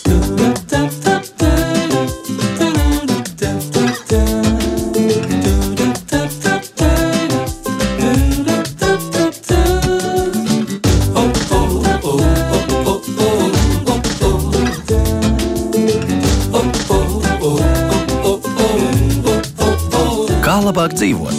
Kā labāk dzīvot?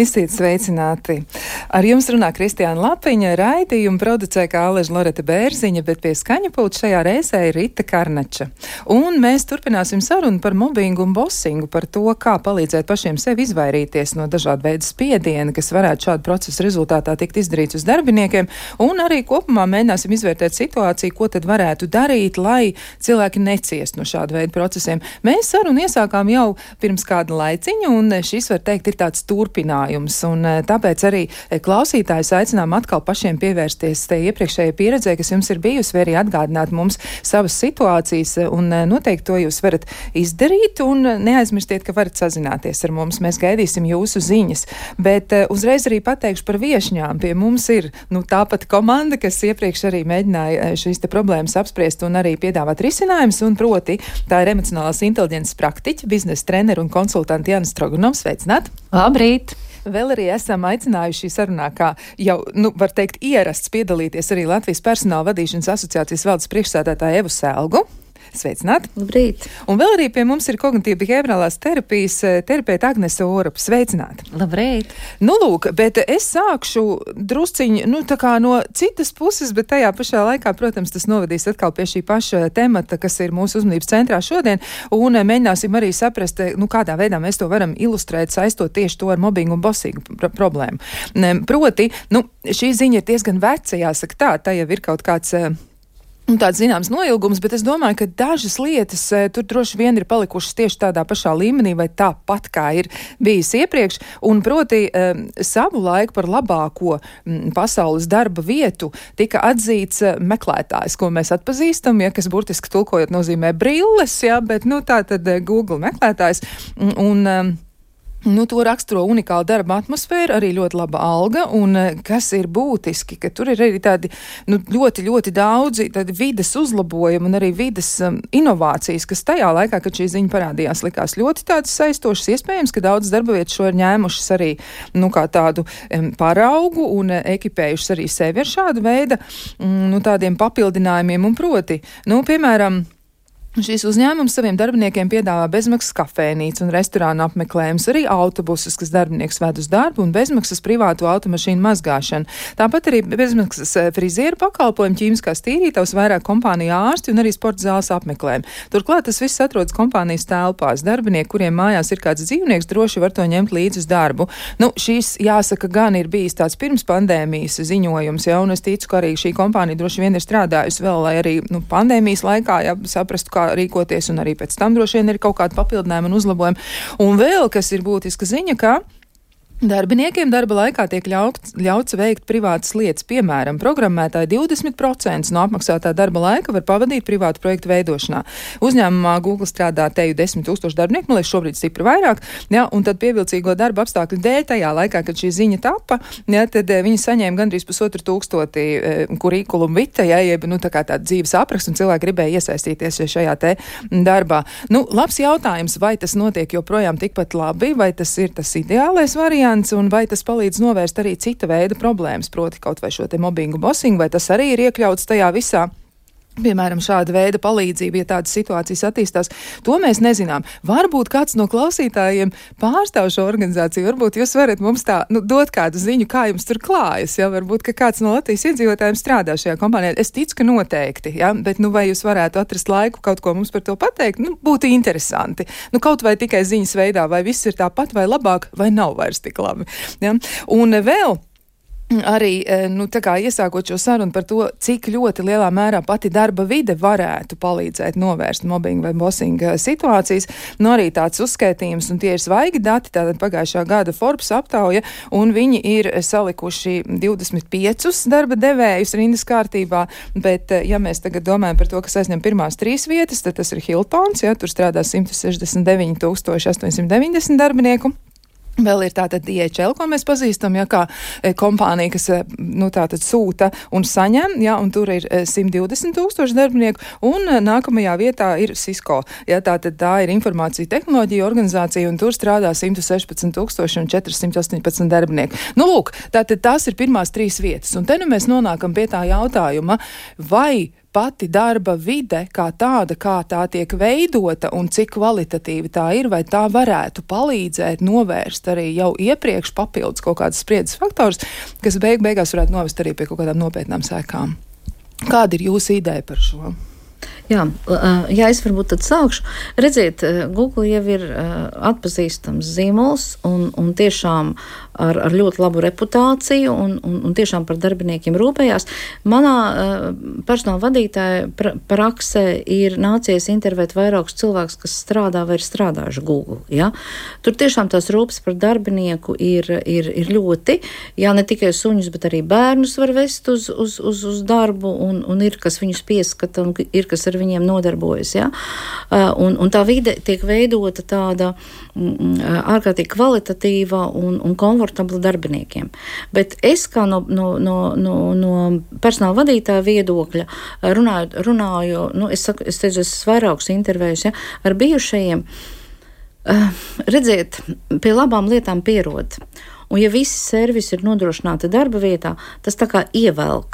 Esiet sveicināti! Ar jums runā Kristiāna Lapiņa, raidījumu producē kā Aleža Loreta Bērziņa, bet pie skaņapulta šajā reizē ir Rita Karnača. Un mēs turpināsim sarunu par mobbingu un bosingu, par to, kā palīdzēt pašiem sev izvairīties no dažādu veidu spiediena, kas varētu šādu procesu rezultātā tikt izdarīts uz darbiniekiem, un arī kopumā mēģināsim izvērtēt situāciju, ko tad varētu darīt, lai cilvēki neciest no šādu veidu procesiem. Mēs sarunu iesākām jau pirms kāda laiciņa, un šis, var teikt, ir tāds turpinājums. Un tāpēc arī klausītājus aicinām atkal pašiem pievērsties te iepriekšējai pieredzē, kas jums ir bijusi, vai arī atgādināt mums savas situācijas, un noteikti to jūs varat izdarīt, un neaizmirstiet, ka varat sazināties ar mums. Mēs gaidīsim jūsu ziņas, bet uzreiz arī pateikšu par viešņām. Pie mums ir tāpat komanda, kas iepriekš arī mēģināja šīs te problēmas apspriest un arī piedāvāt risinājumus, un proti tā ir emocionālās inteliģences praktiķa, biznesa trenera un konsultanti Jānis Strogunovs. Sveicināt! Labrīt! Vēl arī esam aicinājuši sarunā, kā jau, var teikt, ierasts piedalīties arī Latvijas personāla vadīšanas asociācijas valdes priekšsēdētāju Evu Selgu. Sveicināt! Labrīt! Un vēl arī pie mums ir kognitīva behaviorālās terapijas terapeita Agnese Orupa. Sveicināt! Labrīt! Lūk, bet es sākšu drusciņi, tā kā no citas puses, bet tajā pašā laikā, protams, tas novedīs atkal pie šī paša temata, kas ir mūsu uzmanības centrā šodien, un mēģināsim arī saprast, kādā veidā mēs to varam ilustrēt, saistot tieši to ar mobbingu un bosingu problēmu. Proti, šī ziņa ir diezgan veca, jāsaka tā jau ir kaut kāds tāds zināms noilgums, bet es domāju, ka dažas lietas tur droši vien ir palikušas tieši tādā pašā līmenī vai tāpat, kā ir bijis iepriekš, un proti savu laiku par labāko pasaules darba vietu tika atzīts meklētājs, ko mēs atpazīstam, kas burtiski tulkojot nozīmē brilles, bet tā tad Google meklētājs, un to raksturo unikāla darba atmosfēra, arī ļoti laba alga, un kas ir būtiski, ka tur ir arī tādi ļoti, ļoti daudzi tādi vides uzlabojumi un arī vides inovācijas, kas tajā laikā, kad šī ziņa parādījās, likās ļoti tādas saistošas. Iespējams, ka daudz darba vietas šo ir ņēmušas arī kā tādu paraugu un ekipējušas arī sevi ar šādu veidu tādiem papildinājumiem, un proti, piemēram, šīs uzņēmums saviem darbiniekiem piedāvā bezmaksas kafēnīcu un restorānu apmeklējumus, arī autobusus, kas darbinieks ved uz darbu, un bezmaksas privātu automašīnu mazgāšanu. Tāpat arī bezmaksas frizieru pakalpojumu, ķīmiskās tīrītavas, vairāk kompāniju ārsti un arī sporta zāles apmeklējumi. Turklāt tas viss atrodas kompānijas telpās. Darbinieki, kuriem mājās ir kāds dzīvnieks, droši var to ņemt līdzi uz darbu. Šīs, jāsaka, gan ir bijis tāds pirms pandēmijas ziņojums, un es ticu, ka arī šī kompānija droši vien ir strādājusi vēl, lai arī pandēmijas laikā saprastu, kā rīkoties, un arī pēc tam droši vien ir kaut kāda papildinājuma un uzlabojuma. Un vēl, kas ir būtiska ziņa, ka darbiniekiem darba laikā tiek ļauts veikt privātas lietas. Piemēram, programmētāji 20% no apmaksātā darba laika var pavadīt privātu projektu veidošanā. Uzņēmumā Google strādā teju 10 000 darbinieku, man liekas, šobrīd stipri vairāk, un tad pievilcīgo darba apstākļu dēļ tajā laikā, kad šī ziņa tapa, tad viņi saņēma gandrīz 1500 kurikulumu vitae, jeb tā kā tāda dzīves apraksts, un cilvēki gribēja iesaistīties šajā te darbā. Labs jautājums, vai tas notiek joprojām tikpat labi, vai tas ir tas ideālais variants, un vai tas palīdz novērst arī cita veida problēmas, proti kaut vai šo te mobbingu, bosingu, vai tas arī ir iekļauts tajā visā. Piemēram, šāda veida palīdzība, ja tādas situācijas attīstās, to mēs nezinām. Varbūt kāds no klausītājiem pārstāv šo organizāciju, varbūt jūs varat mums tā dot kādu ziņu, kā jums tur klājas, varbūt, ka kāds no Latvijas iedzīvotājiem strādā šajā kompānijā. Es ticu, ka noteikti, bet vai jūs varētu atrast laiku kaut ko mums par to pateikt? Būtu interesanti. Kaut vai tikai ziņas veidā, vai viss ir tāpat vai labāk, vai nav vairs tik labi. Un vēl arī, tā kā iesākot šo sarunu par to, cik ļoti lielā mērā pati darba vide varētu palīdzēt novērst mobbingu vai bosinga situācijas, arī tāds uzskaitījums, un tie ir svaigi dati, tātad pagājušā gada Forbes aptauja, un viņi ir salikuši 25 darba devējus rindas kārtībā, bet, ja mēs tagad domājam par to, kas aizņem pirmās 3 vietas, tad tas ir Hiltons, tur strādā 169 890 darbinieku. Vēl ir tātad DHL, ko mēs pazīstam, ja, kā kompānija, kas tātad sūta un saņem, ja, un tur ir 120,000 darbinieku, un nākamajā vietā ir Cisco. Ja, tātad tā ir informācija tehnoloģija organizācija, un tur strādā 116,418 darbinieku. Nu, lūk, tātad tās ir pirmās 3 vietas, un te nu mēs nonākam pie tā jautājuma, vai pati darba vide kā tāda, kā tā tiek veidota un cik kvalitatīva tā ir, vai tā varētu palīdzēt novērst arī jau iepriekš papildus kaut kādas spriedzes faktors, kas beigās varētu novest arī pie kaut kādām nopietnām sekām. Kāda ir jūsu ideja par šo? Jā, es varbūt tad sākšu. Redziet, Google jau ir atpazīstams zīmols un tiešām ar ļoti labu reputāciju un tiešām par darbiniekiem rūpējās. Manā personāla vadītāja praksē ir nācies intervēt vairākus cilvēkus, kas strādā vai ir strādājuši Google. Ja? Tur tiešām tās rūpes par darbinieku ir ļoti, jā, ne tikai suņus, bet arī bērnus var vest uz darbu un ir, kas viņus pieskata un ir, kas ar viņiem nodarbojas. Ja? Un tā vide tiek veidota tāda ārkārtīgi kvalitatīva un komfortabla darbiniekiem. Bet es kā no personāla vadītāja viedokļa runāju, es teicu, es vairākus intervējus, ja, ar bijušajiem, redziet, pie labām lietām pierod. Un ja visi servisi ir nodrošināti darba vietā, tas tā kā ievelk.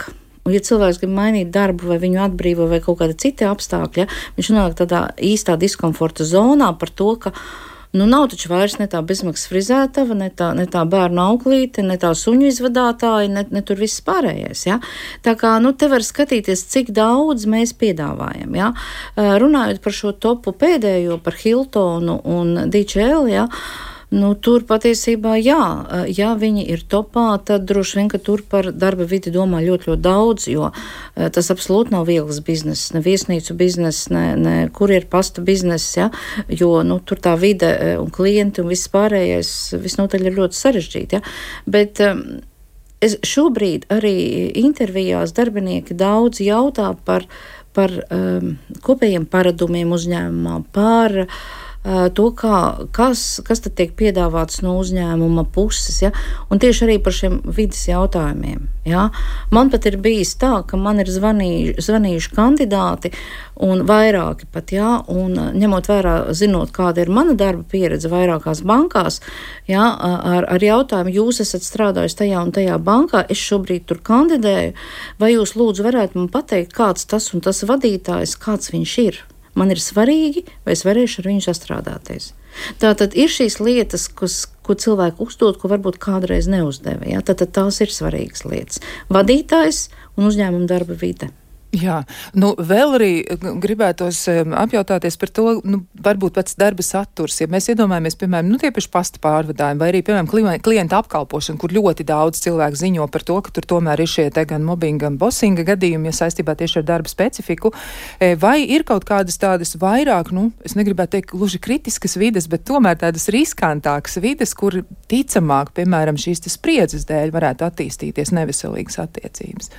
Un, ja cilvēks grib mainīt darbu, vai viņu atbrīvo, vai kaut kāda cita apstākļa, viņš nonāk tādā īstā diskomforta zonā par to, ka nav taču vairs ne tā bezmaksas frizētava, ne tā bērnu auklīte, ne tā suņu izvadātāji, ne tur viss pārējais. Ja? Tā kā te var skatīties, cik daudz mēs piedāvājam. Ja? Runājot par šo topu pēdējo, par Hiltonu un DHL, ja? Tur patiesībā, ja viņi ir topā, tad droši vien, ka tur par darba vidi domā ļoti, ļoti daudz, jo tas absolūti nav viegls bizness, ne viesnīcu bizness, ne kurjeru pasta bizness, ja, jo tur tā vide un klienti un viss pārējais visnotaļ ir ļoti sarežģīti. Ja. Bet šobrīd arī intervijās darbinieki daudz jautā par kopējiem paradumiem uzņēmumā, par to, kas tad tiek piedāvāts no uzņēmuma puses, ja? Un tieši arī par šiem vides jautājumiem. Ja? Man pat ir bijis tā, ka man ir zvanījuši kandidāti un vairāki pat, ja? Un ņemot vērā, zinot, kāda ir mana darba pieredze vairākās bankās, ja? Ar jautājumu, jūs esat strādājis tajā un tajā bankā, es šobrīd tur kandidēju, vai jūs lūdzu varētu man pateikt, kāds tas un tas vadītājs, kāds viņš ir? Man ir svarīgi, vai es varēšu ar viņu sastrādāties. Tātad ir šīs lietas, ko cilvēki uzdod, ko varbūt kādreiz neuzdeva. Ja? Tātad tās ir svarīgas lietas. Vadītājs un uzņēmuma darba vide. Jā, vēl arī gribētos apjautāties par to, varbūt pats darba saturs, ja mēs iedomājamies, piemēram, tiepaši pasta pārvadājumi, vai arī, piemēram, klienta apkalpošana, kur ļoti daudz cilvēku ziņo par to, ka tur tomēr ir šie te gan mobbinga, gan bosinga gadījumi, ja saistībā tieši ar darba specifiku, vai ir kaut kādas tādas vairāk, es negribētu teikt gluži kritiskas vides, bet tomēr tādas riskantākas vides, kur ticamāk, piemēram, šīs te spriedzes dēļ varētu attīstīties neveselīgas attiecības.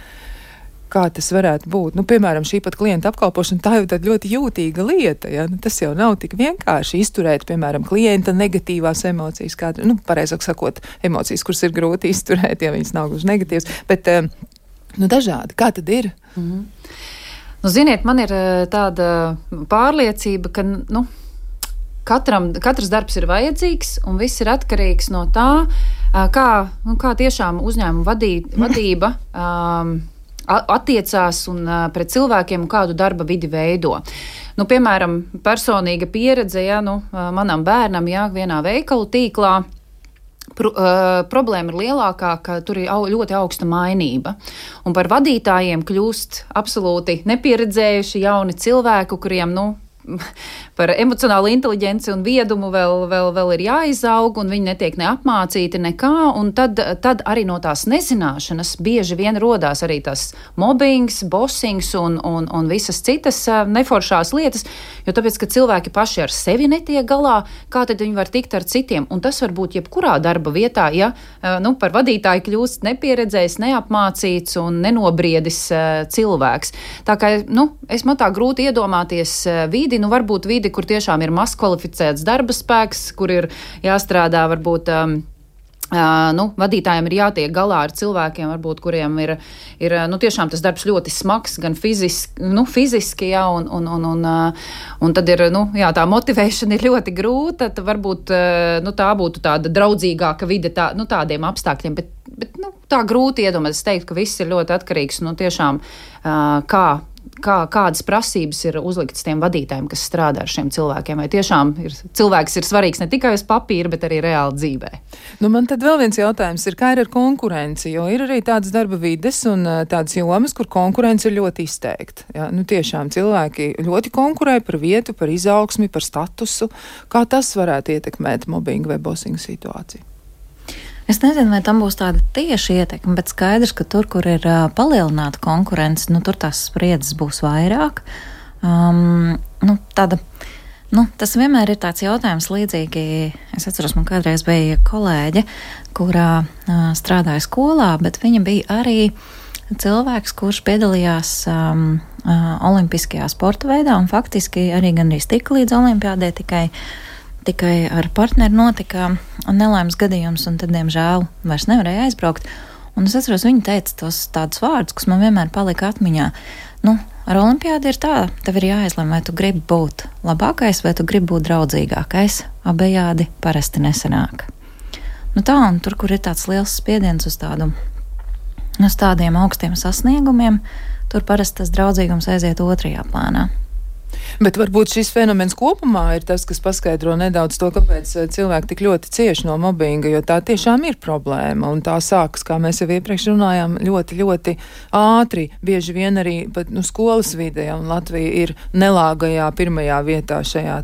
Kā tas varētu būt? Piemēram, šī pat klienta apkalpošana, tā jau tāda ļoti jūtīga lieta, ja? Tas jau nav tik vienkārši izturēt, piemēram, klienta negatīvās emocijas, pareizāk sakot, emocijas, kuras ir grūti izturēt, ja viņas nav gluži negatīvas, bet, dažādi. Kā tad ir? Mm-hmm. Ziniet, man ir tāda pārliecība, ka, katrs darbs ir vajadzīgs, un viss ir atkarīgs no tā, kā tiešām uzņēmuma vadība attiecās pret cilvēkiem un kādu darba vidi veido. Piemēram, personīga pieredze, manam bērnam, vienā veikalu tīklā, problēma ir lielākā, ka tur ir ļoti augsta mainība. Un par vadītājiem kļūst absolūti nepieredzējuši jauni cilvēki, kuriem, par emocionālu inteliģenci un viedumu vēl ir jāizaug, un viņi netiek neapmācīti nekā, un tad arī no tās nezināšanas bieži vien rodās arī tas mobbings, bossings un visas citas neforšās lietas, jo tāpēc, ka cilvēki paši ar sevi netiek galā, kā tad viņi var tikt ar citiem, un tas var būt jebkurā darba vietā, ja par vadītāju kļūst nepieredzējis, neapmācīts un nenobriedis cilvēks. Tā kā, man tā grūti iedomāties vidi, vidi, nu varbūt vidi, kur tiešām ir mazkvalificēts darba spēks, kur ir jāstrādā varbūt vadītājiem ir jātiek galā ar cilvēkiem, varbūt, kuriem ir tiešām tas darbs ļoti smags, gan fiziski, jā, un tad ir, tā motivēšana ir ļoti grūta, tad varbūt, tā būtu tāda draudzīgāka vide tādiem apstākļiem, bet tā grūti iedomāties. Es teiktu, ka viss ir ļoti atkarīgs, tiešām, kādas prasības ir uzliktas tiem vadītājiem, kas strādā ar šiem cilvēkiem. Vai tiešām cilvēks ir svarīgs ne tikai uz papīra, bet arī reāli dzīvē? Man tad vēl viens jautājums ir, kā ir ar konkurenci, jo ir arī tādas darba vides un tādas jomas, kur konkurence ir ļoti izteikta. Ja? Tiešām cilvēki ļoti konkurē par vietu, par izaugsmi, par statusu. Kā tas varētu ietekmēt mobbingu vai bosingu situāciju? Es nezinu, vai tam būs tāda tieši ietekme, bet skaidrs, ka tur, kur ir palielināta konkurence, tur tās spriedzes būs vairāk. Tas vienmēr ir tāds jautājums līdzīgi. Es atceros, man kādreiz bija kolēģe, kurā strādāja skolā, bet viņa bija arī cilvēks, kurš piedalījās olimpiskajā sporta veidā un faktiski arī gandrīz tika līdz olimpiādē, tikai ar partneri notika nelaimes gadījums, un tad, diemžēl, vairs nevarēja aizbraukt. Un es atceros, viņa teica tos tādus vārdus, kas man vienmēr palika atmiņā. Ar olimpiādi ir tā, tev ir jāizlem, vai tu gribi būt labākais, vai tu gribi būt draudzīgākais. Abejādi parasti nesanāk. Un tur, kur ir tāds liels spiediens uz tādiem augstiem sasniegumiem, tur parasti tas draudzīgums aiziet otrajā plānā. Bet varbūt šis fenomens kopumā ir tas, kas paskaidro nedaudz to, kāpēc cilvēki tik ļoti cieši no mobbinga, jo tā tiešām ir problēma, un tā sākas, kā mēs jau iepriekš runājām, ļoti, ļoti ātri, bieži vien arī pat skolas vidē, un Latvija ir nelāgajā pirmajā vietā šajā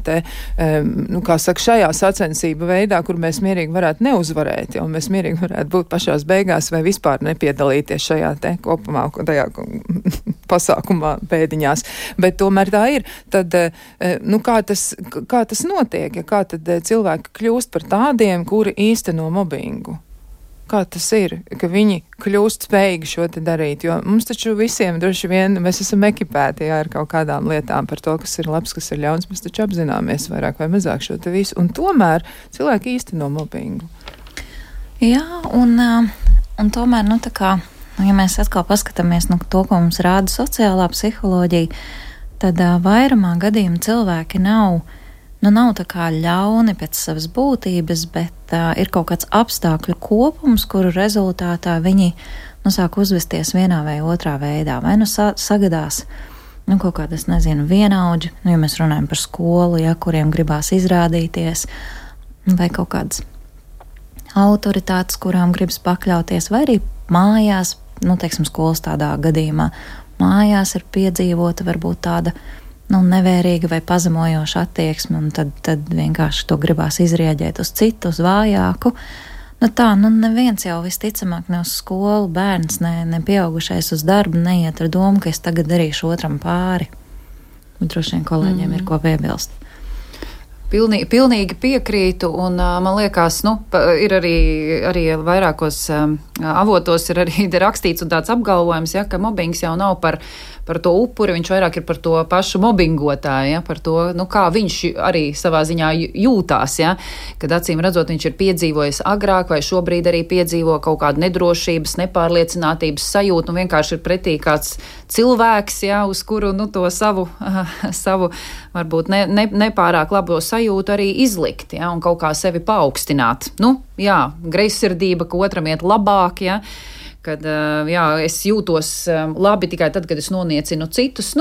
šajā sacensība veidā, kur mēs mierīgi varētu neuzvarēt, un mēs mierīgi varētu būt pašās beigās vai vispār nepiedalīties šajā kopumā, tajā pasākumā pēdiņās, bet tomēr tā ir. Tad, kā tas notiek, kā tad cilvēki kļūst par tādiem, kuri īsteno mobbingu? Kā tas ir, ka viņi kļūst spējīgi šo te darīt? Jo mums taču visiem droši vien, mēs esam ekipēti ar kaut kādām lietām par to, kas ir labs, kas ir ļauns, mēs taču apzināmies vairāk vai mazāk šo te visu, un tomēr cilvēki īsteno mobbingu. Jā, un tomēr, ja mēs atkal paskatāmies to, ko mums rāda sociālā psiholoģija, tad vairumā gadījumu cilvēki nav tā kā ļauni pēc savas būtības, bet ir kaut kāds apstākļu kopums, kuru rezultātā viņi sāk uzvesties vienā vai otrā veidā. Vai sagadās kaut kādas, vienaudži, ja mēs runājam par skolu, kuriem gribās izrādīties, vai kaut kādas autoritātes, kurām gribas pakļauties, vai arī mājās, skolas tādā gadījumā, mājās ir piedzīvota varbūt tāda nevērīga vai pazemojoša attieksme, un tad vienkārši to gribās izrieģēt uz citu, uz vājāku. Neviens jau visticamāk ne uz skolu, bērns, ne pieaugušais uz darbu neiet ar domu, ka es tagad darīšu otram pāri. Droši vien kolēģiem ir ko piebilst. Pilnīgi piekrītu, un man liekas, ir arī vairākos avotos ir arī rakstīts un tāds apgalvojums, ka mobbings jau nav par to upuri, viņš vairāk ir par to pašu mobbingotāju, par to, kā viņš arī savā ziņā jūtās, kad acīm redzot, viņš ir piedzīvojis agrāk vai šobrīd arī piedzīvo kaut kādu nedrošības, nepārliecinātības sajūtu, un vienkārši ir pretī kāds cilvēks, uz kuru to savu varbūt nepārāk labo sajūtu arī izlikt, un kaut kā sevi paaugstināt. Greizsirdība, ka otram iet labāk, kad es jūtos labi tikai tad, kad es noniecinu citus.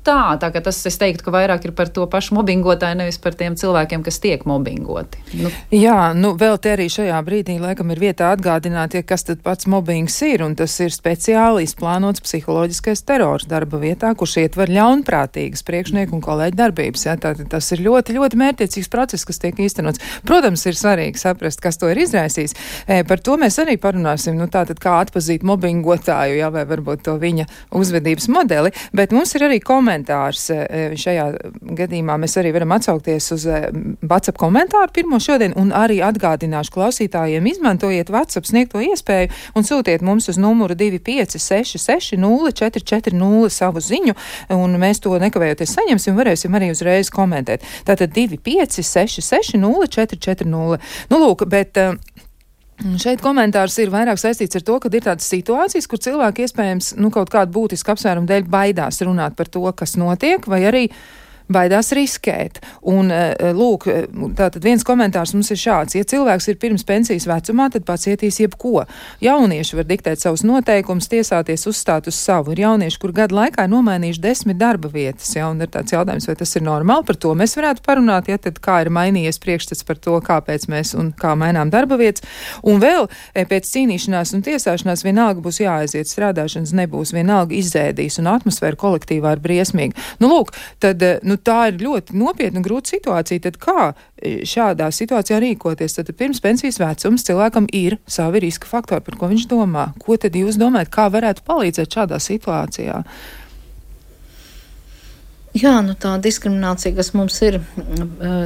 Tā ka tas, es teiktu, ka vairāk ir par to pašu mobbingotāju, nevis par tiem cilvēkiem, kas tiek mobbingoti. Vēl te arī šajā brīdī laikam ir vietā atgādināt, kas tad pats mobbings ir, un tas ir speciāli izplānots psiholoģiskais terors darba vietā, kurš ietver ļaunprātīgas priekšnieku un kolēģu darbības. Tātad tas ir ļoti, ļoti mērķiecīgs process, kas tiek īstenots. Protams, ir svarīgi saprast, kas to ir izraisījis. Par to mēs arī parunāsim, tātad kā atpazīt atpazīt mobbingotāju, jā, vai varbūt to viņa uzvedības modeli, bet mums ir arī komentārs šajā gadījumā. Mēs arī varam atsaukties uz WhatsApp komentāru pirmo šodien un arī atgādināšu klausītājiem, izmantojiet WhatsApp sniegto iespēju un sūtiet mums uz numuru 25660440 savu ziņu, un mēs to nekavējoties saņemsim, varēsim arī uzreiz komentēt. Tātad 25660440. Nu, lūk, bet šeit komentārs ir vairāk saistīts ar to, ka ir tādas situācijas, kur cilvēki iespējams, kaut kādu būtisku apsvērumu dēļ baidās runāt par to, kas notiek, vai arī baidās riskēt. Un, lūk, tātad viens komentārs mums ir šāds. Ja cilvēks ir pirms pensijas vecumā, tad pacietīs jebko. Jaunieši var diktēt savus noteikumus, tiesāties uzstāt uz savu. Ir jaunieši, kur gadu laikā ir nomainījuši 10 darba vietas, ja, un ir tāds jautājums, vai tas ir normāli. Par to mēs varētu parunāt, ja tad kā ir mainījies priekšstats par to, kāpēc mēs un kā mainām darba vietas. Un vēl pēc cīnīšanās un tiesāšanās vienalga būs jāaiziet, strādāšanas nebūs, vienalga izēdīs, un atmosfēra kolektīvā ir briesmīga. Nu, lūk, tad, tā ir ļoti nopietna un grūta situācija. Tad kā šādā situācijā rīkoties? Tad pirms pensijas vecums cilvēkam ir savi riska faktori, par ko viņš domā. Ko tad jūs domājat, kā varētu palīdzēt šādā situācijā? Jā, tā diskriminācija, kas mums ir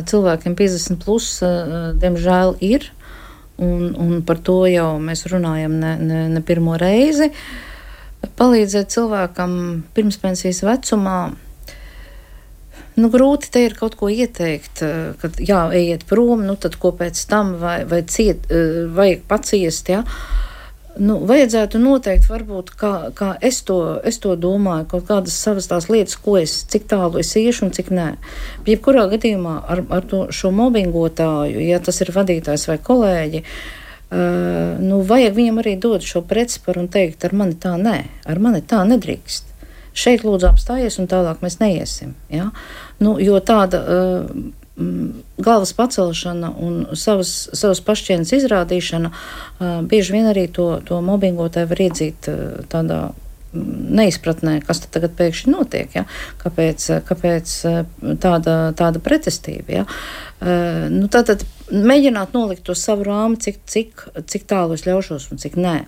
cilvēkiem 50 plus, diemžēl ir, un par to jau mēs runājam ne pirmo reizi. Palīdzēt cilvēkam pirms pensijas vecumā, grūti te ir kaut ko ieteikt, kad ejiet prom, tad ko pēc tam vai vajag paciest, ja? Vajadzētu noteikti varbūt, kā es to domāju, kaut kādas savas tās lietas, cik tālu es iešu un cik nē. Jebkurā gadījumā ar šo mobbingotāju, ja tas ir vadītājs vai kolēģi, vajag viņam arī dot šo pretsparu un teikt, ar mani tā nē, ar mani tā nedrīkst. Šeit lūdzu apstājies un tālāk mēs neiesim. Ja? Jo tāda galvas pacelšana un savas pašcieņas izrādīšana bieži vien arī to mobbingotāju var iedzīt tādā neizpratnē, kas tad tagad pēkšņi notiek, ja? Kāpēc tāda pretestība. Ja? Tātad mēģināt nolikt to savu rāmi, cik tālu es ļaušos un cik nē.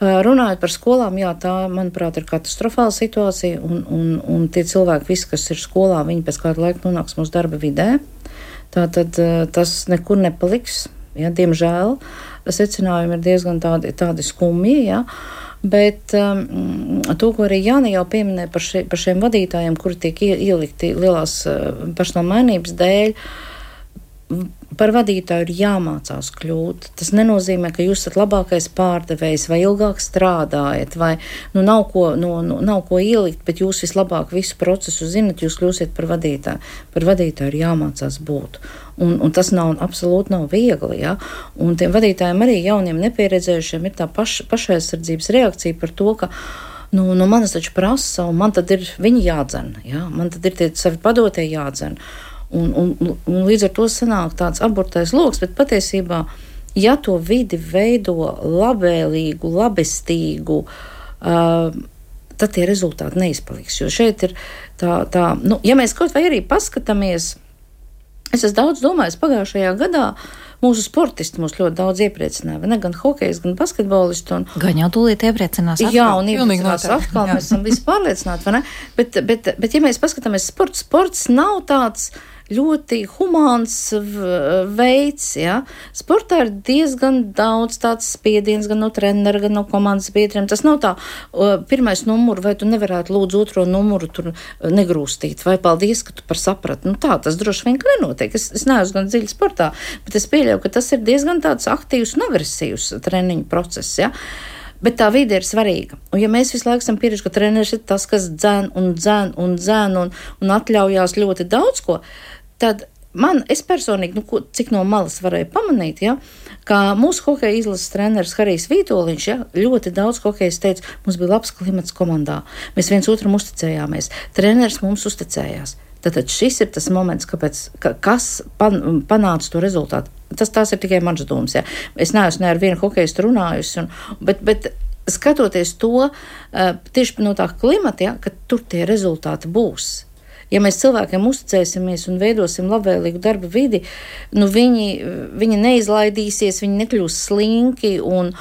Runājot par skolām, tā, manuprāt, ir katastrofāla situācija, un tie cilvēki, visi, kas ir skolā, viņi pēc kāda laika nonāks mūsu darba vidē. Tātad tas nekur nepaliks, ja, diemžēl. Secinājumi ir diezgan tādi skumji, ja. Bet to, ko arī Jāni jau pieminēja par šiem vadītājiem, kuri tiek ielikti lielās personāla mainības dēļ, par vadītāju ir jāmācās kļūt. Tas nenozīmē, ka jūs esat labākais pārdevējs vai ilgāk strādājat, vai nav ko ielikt, bet jūs vislabāk visu procesu zinat, jūs kļūsiet par vadītāju. Par vadītāju ir jāmācās būt. Un tas absolūti nav viegli. Ja? Un tiem vadītājiem arī jauniem nepieredzējušiem ir tā pašaizsardzības reakcija par to, ka manas taču prasa, un man tad ir viņi jādzen. Ja? Man tad ir tie savi padotie jādzen. Un līdz ar to sanāk tāds aburtais loks, bet patiesībā, ja to vidi veido labvēlīgu, labestīgu, tad tie rezultāti neizpaliks. Jo šeit ir ja mēs kaut vai arī paskatāmies, es esmu daudz domājis pagājušajā gadā, mūsu sportisti mūs ļoti daudz iepriecināja, ne gan hokejs, gan basketbolisti. Gan jau tūlīt iepriecinās atkal. Jā, un iepriecinās atkal, mēs esam visi pārliecināti, vai ne? Bet ja mēs paskatāmies sports nav tāds ļoti humāns veids, ja. Sportā ir diezgan daudz tāds spiediens gan no trenera, gan no komandas biedriem. Tas nav tā, pirmais numuru, vai tu nevarētu lūdzu otro numuru tur negrūstīt, vai paldies, ka tu par saprati. Tā, tas droši vien nenotiek. Es neesmu gan dziļi sportā, bet es pieļauju, ka tas ir diezgan tāds aktīvs un agresīvs treniņu process, ja. Bet tā vide ir svarīga. Un ja mēs visu laiku esam pieredzi, ka treneris ir tas, kas dzēn un atļaujās ļoti daudz ko, tad es personīgi, cik no malas varēju pamanīt, ja, ka mūsu hokeja izlases treneris Harijs Vītoliņš, ja, ļoti daudz hokejas teica, mums bija labs klimats komandā, mēs viens otram uzticējāmies, treneris mums uzticējās. Tātad šis ir tas moments, kas panāca to rezultātu. Tās ir tikai manas domas, ja. Es neesmu ar vienu hokejistu runājusi, bet skatoties to tieši no tā klimata, ja, ka tur tie rezultāti būs. ja mēs cilvēkiem uzticēsimies un veidosim labvēlīgu darba vidi, nu viņi neizlaidīsies, viņi nekļūs slinki un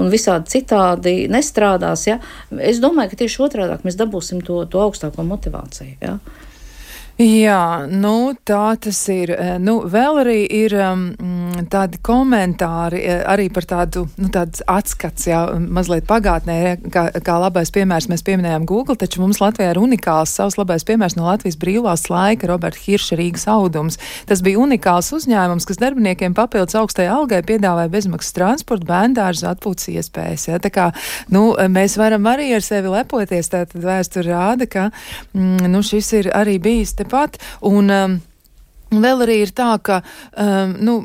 visādi citādi nestrādās, ja. Es domāju, ka tieši otrādāk mēs dabūsim to augstāko motivāciju, ja. Jā, nu tā tas ir. Nu, vēl arī ir tādi komentāri arī par tādu, nu tāds atskats, jā, mazliet pagātnē, kā labais piemērs mēs pieminējām Google, taču mums Latvijā ir unikāls savs labais piemērs no Latvijas brīvās laika, Roberta Hirša Rīgas audums. Tas bija unikāls uzņēmums, kas darbiniekiem papildus augstai algai piedāvāja bezmaksas transportu, bērndārzu, atpūtas iespējas, jā. Tā kā, nu, mēs varam arī ar sevi lepoties, tātad vēsture rāda, ka, nu, šis ir arī bijis pat, un vēl arī ir tā, ka nu,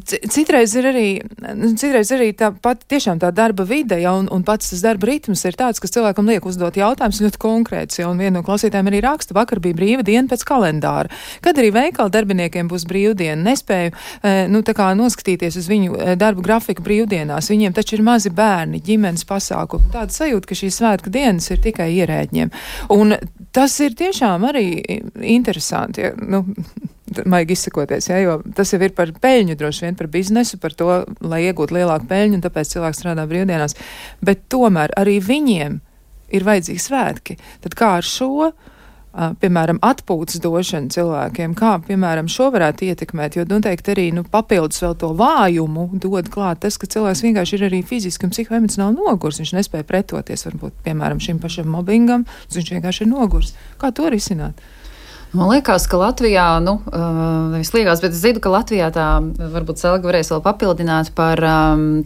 citreiz ir arī tā pat tiešām tā darba vide, ja, un pats tas darba ritms ir tāds, kas cilvēkam liek uzdot jautājumus ļoti konkrēts, ja, un viena no klausītājiem arī raksta, vakar bija brīva diena pēc kalendāra. Kad arī veikala darbiniekiem būs brīvdiena, nespēju, nu, tā kā noskatīties uz viņu darbu grafiku brīvdienās, viņiem taču ir mazi bērni, ģimenes pasākumi, tāda sajūta, ka šīs svētku dienas ir tikai ierēģiem. Un tas ir tiešām arī interesanti, ja, nu, maigi izsakoties, ja, jo tas jau ir par peļņu, droši vien par biznesu, par to, lai iegūtu lielāku peļņu, un tāpēc cilvēks strādā brīvdienās. Bet tomēr arī viņiem ir vajadzīgi svētki. Tad kā ar šo, piemēram, atpūtas došanu cilvēkiem, kā, piemēram, šo varētu ietekmēt, jo noteikti arī, nu, papildus vēl to vājumu dod klāt tas, ka cilvēks vienkārši ir arī fiziski un psihoemocionāli nogurs. Viņš nespēja pretoties, varbūt, piemēram, šim pašam mobbingam, viņš vienkārši ir nogurs. Kā to risināt? Man liekas, ka Latvijā, nu, nevis liekas, bet es zinu, ka Latvijā tā, varbūt Selga varēs vēl papildināt par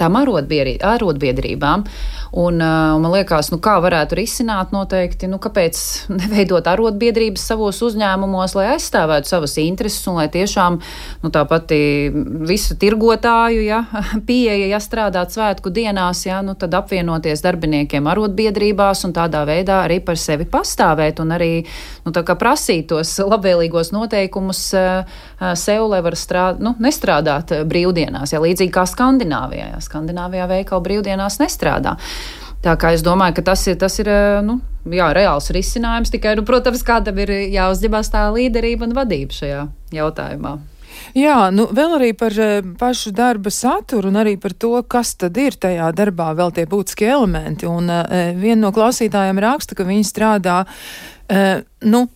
tām arotbiedrībām. Un man liekas, nu, kā varētu risināt noteikti, nu, kāpēc neveidot arotbiedrības savos uzņēmumos, lai aizstāvētu savas intereses un lai tiešām, nu, tā pati visu tirgotāju, ja, pieeja, ja strādāt svētku dienās, ja, nu, tad apvienoties darbiniekiem arotbiedrībās un tādā veidā arī par sevi pastāvēt un arī, nu, tā kā prasīt tos labvēlīgos noteikumus sev, lai var nestrādāt brīvdienās, ja, līdzīgi kā Skandināvijā. Ja. Skandināvijā veikala brīvdienās nestrādā. Tā kā es domāju, ka tas ir nu, jā, reāls risinājums, tikai, nu, protams, kādam ir jāuzņemās tā līderība un vadība šajā jautājumā. Jā, nu vēl arī par pašu darba saturu un arī par to, kas tad ir tajā darbā vēl tie būtiskie elementi. Un viena no klausītājiem raksta, ka viņi strādā, nu,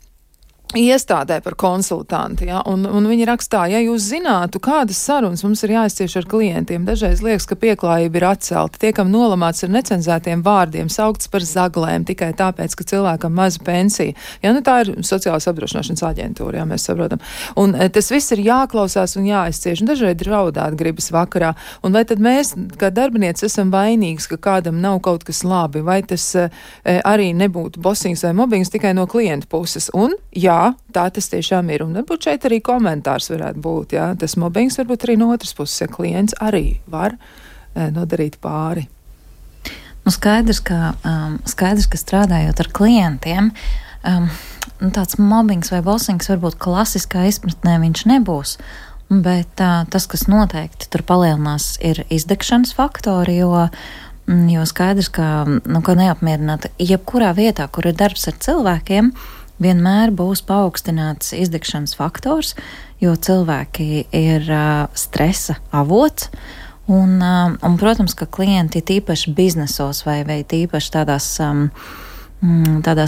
iestādē par konsultanti, ja? un viņi rakstā, ja jūs zinātu, kādas sarunas mums ir jāizcieš ar klientiem, dažreiz liekas, ka pieklājība ir atcelta, tiekam nolamāts ar necenzētiem vārdiem, saukts par zaglēm tikai tāpēc, ka cilvēkam maza pensija. Ja, nu tā ir sociālās apdrošināšanas aģentūra, ja mēs saprotam. Un tas viss ir jāklausās un jāizcieš, un dažreiz raudāt gribas vakarā. Un vai tad mēs, kā darbinieci, esam vainīgs, ka kādam nav kaut kas labi, vai tas arī nebūtu bosings vai mobbings tikai no klienta puses? Un, jā, tā tas tiešām ir. Un varbūt šeit arī komentārs varētu būt, jā. Tas mobbings varbūt arī no otras puses, ja klients arī var nodarīt pāri. Nu, skaidrs, ka strādājot ar klientiem, tāds mobbings vai bossings varbūt klasiskā izpratnē viņš nebūs, bet tas, kas noteikti tur palielinās, ir izdegšanas faktori, jo skaidrs, ka neapmierināta jebkurā vietā, kur ir darbs ar cilvēkiem, vienmēr būs paaugstināts izdegšanas faktors, jo cilvēki ir stresa avots. Un, protams, ka klienti tīpaši biznesos vai tīpaši tādās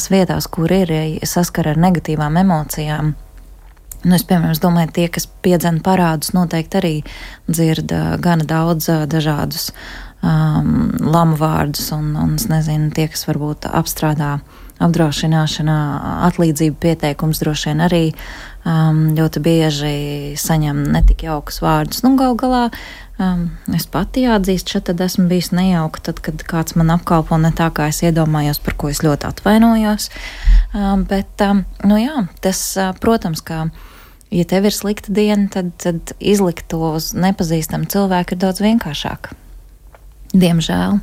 vietās, kur ir saskara ar negatīvām emocijām. Nu, es, piemēram, domāju, tie, kas piedzena parādus, noteikti arī dzird gana daudz dažādus lamu vārdus un es nezinu, tie, kas varbūt apstrādā apdrošināšanā, atlīdzību pieteikums droši vien arī ļoti bieži saņem netik jaukus vārdus. Nu, gal galā es pati jāatzīst, šeit tad esmu bijis nejauka, tad, kad kāds man apkalpo ne tā, kā es iedomājos, par ko es ļoti atvainojos. Bet, nu jā, tas, protams, ka ja tev ir slikta diena, tad izlikt to uz nepazīstamu cilvēku ir daudz vienkāršāk. Diemžēl.